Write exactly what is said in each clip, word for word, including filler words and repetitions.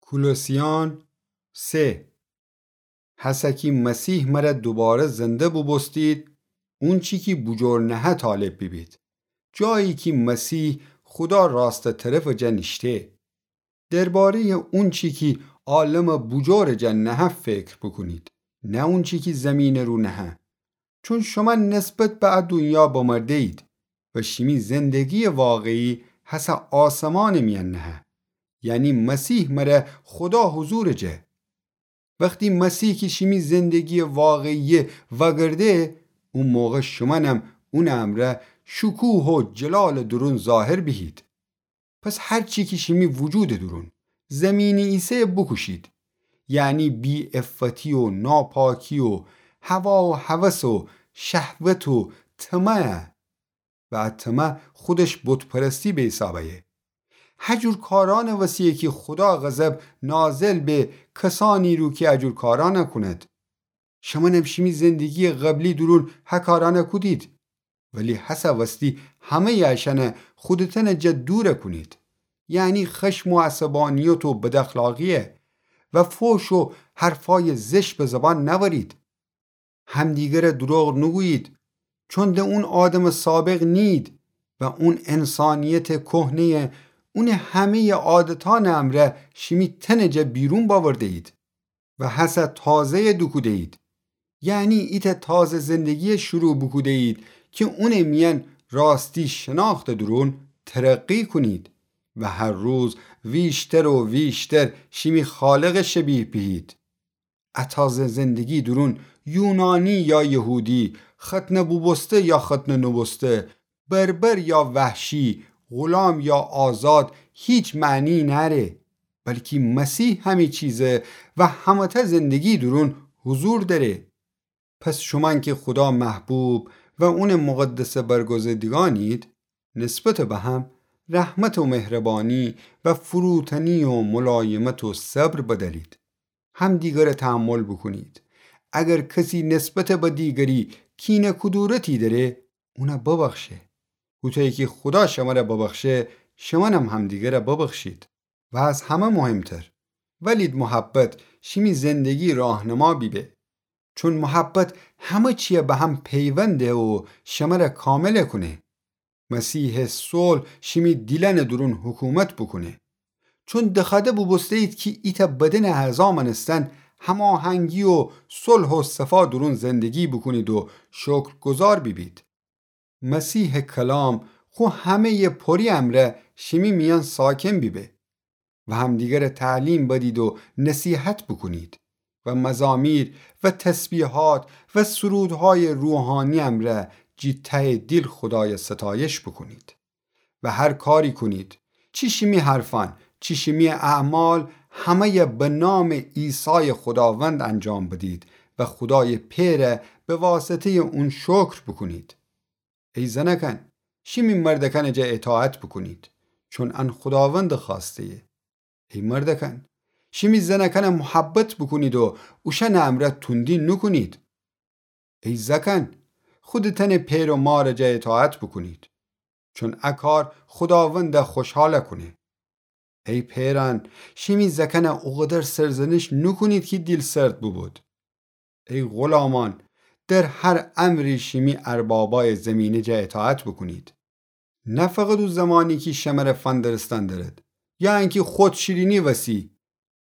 کولوسیان سه. هسه کی مسیح مره دوباره زنده بوبوستید، اونچی کی بوجور نهه طالب بیبید، جایی کی مسیح خودا راستٚ طرفٚ جا نیشته. درباره‌یٚ اونچی کی عالمٚ بوجورٚ جا نهه فکر بوکونید، نه اونچی کی زیمینٚ رو نهه. چون شومأن نسبت به ا دونیا بمرده‌یید و شیمی زندگی‌یٚ واقعی هسه آسمانٚ میأن نهه، یعنی مسیح مره خودا حضورٚ جا. وختی مسیح کی شیمی زندگی‌یٚ واقعی‌یه وأگرده، او موقع شومأنم اونٚ امرأ شکوه و جلالٚ دورون ظاهر بیهید. پس هر چی کی شیمی وجودٚ دورون زیمینی ایسه بوکوشید، یعنی بی‌عفتی و ناپاکی و هوا و هوس و شهوت و طمع. و ا طمع خودش بت‌پرستی به حساب أیه. هجور کارأنٚ وسی‌یه کی خودا غضب نازل به کسأنی رو کی اجور کارأنَ کونید. شمأنم شیمی زندگی‌یٚ قبلی دورون ه کارأنَ کودید، ولی هسه وستی همه‌یٚ اشأنَ خودتأنٚ جا دورَ کونید، یعنی خشم و عصبانیت و بداخلاقی‌یه و فحش و حرفأیٚ زشت به زبان نأورید. همدیگرَ دروغ نوگویید، چون د اون آدمٚ سابق نیید و اون انسانیتٚ کهنه‌یه، اونٚ همه‌یٚ عادتأنٚ امرأ شیمی تنٚ جا بیرون بأورده‌یید و هسه تازه‌یَ دوکوده‌یید. یعنی ایتأ تازه زندگی‌یَ شروع بوکوده‌یید کی اونٚ میأن راستی شناختٚ دورون ترقی کونید و هر روز ویشتر و ویشتر شیمی خالقَ شبیه بیهید. ا تازه زندگی دورون یونانی یا یهودی، ختنه بوبوسته یا ختنه نوبوسته، بربر یا وحشی، غلام یا آزاد، هیچ معنی نأره، بلکی مسیح همه چیزه و همه‌تأ زندگی دورون حضور دأره. پس شومأن کی خودا محبوب و اونٚ مقدسه برگزیدگأنید، نسبتٚ به هم رحمت و مهربانی و فروتنی و ملایمت و صبر بدلید. همدیگرَ تحمل بوکونید. اگر کسی نسبتٚ به دیگری کینه کدورتی دأره، اونَ ببخشه. هوطویی کی خودا شمرَ ببخشه، شمأنم همدیگرَ ببخشید. و از همه مهمتر، ولید محبت شیمی زندگی راهنما بیبه. چون محبت همه چیَ به هم پیوند ده و شمرَ کامل کونه. مسیحٚ صلح شیمی دیلأنٚ دورون حکومت بوکونه. چون دخوأده بوبوسته‌یید کی ایتأ بدنٚ اعضا مأنستن هماهنگی و صلح و صفا دورون زندگی بوکونید و شکرگزار بیبید. مسیحٚ کلام خو همه‌یٚ پوری امرأ شیمی میأن ساکن بیبه و همدیگرَ تعلیم بدید و نصیحت بوکونید و مزامیر و تسبیحات و سرودهایٚ روحانی امرأ جی تهٚ دیل خودایَ ستایش بوکونید. و هر کاری کونید، چی شیمی حرفأن، چی شیمی اعمال، همه‌یَ به نامٚ عیسایٚ خوداوند انجام بدید و خودایٚ پئرَ به واسطه‌یٚ اون شکر بوکونید. ای زنأکأن، شیمی مردأکأنٚ جا اطاعت بوکونید، چون ان خوداوندٚ خوأسته‌یه. ای مردأکأن، شیمی زنأکأنَ محبت بوکونید و اوشأنٚ امرأ توندی نوکونید. ای زأکأن، خودتأنٚ پئر و مارٚ جا اطاعت بوکونید، چون ا کار خوداوندَ خوشحال کونه. ای پئرأن، شیمی زأکأنَ اوقدر سرزنش نوکونید کی دیل‌سرد بوبود. ای غلامأن، در هر امری شیمی اربابأیٚ زمینه جا اطاعت بوکونید، نه فقط او زمانی کی شمرَ فندرستن دأرد یا انکی خودشیرینی وسی،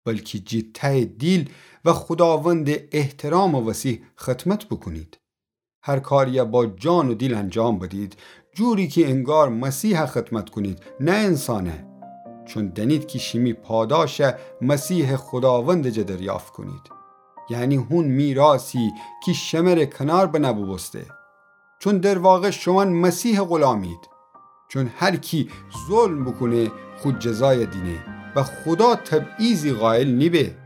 بلکی جی تهٚ دیل و خوداوندٚ احترامٚ وسی خدمت بوکونید. هر کاریَ با جان و دیل انجام بدید، جوری کی انگار مسیحَ خدمت کونید، نه انسانَ. چون دأنید کی شیمی پاداشَ مسیحٚ خوداوندٚ جا دریافت کونید، یعنی هون میراثی کی شمرَ کنار بنه بوبوسته. چون در واقع شومأن مسیحٚ غلامید. چون هر کی ظلم بوکونه، خو جزایَ دینه و خودا تبعیضی قائل نیبه.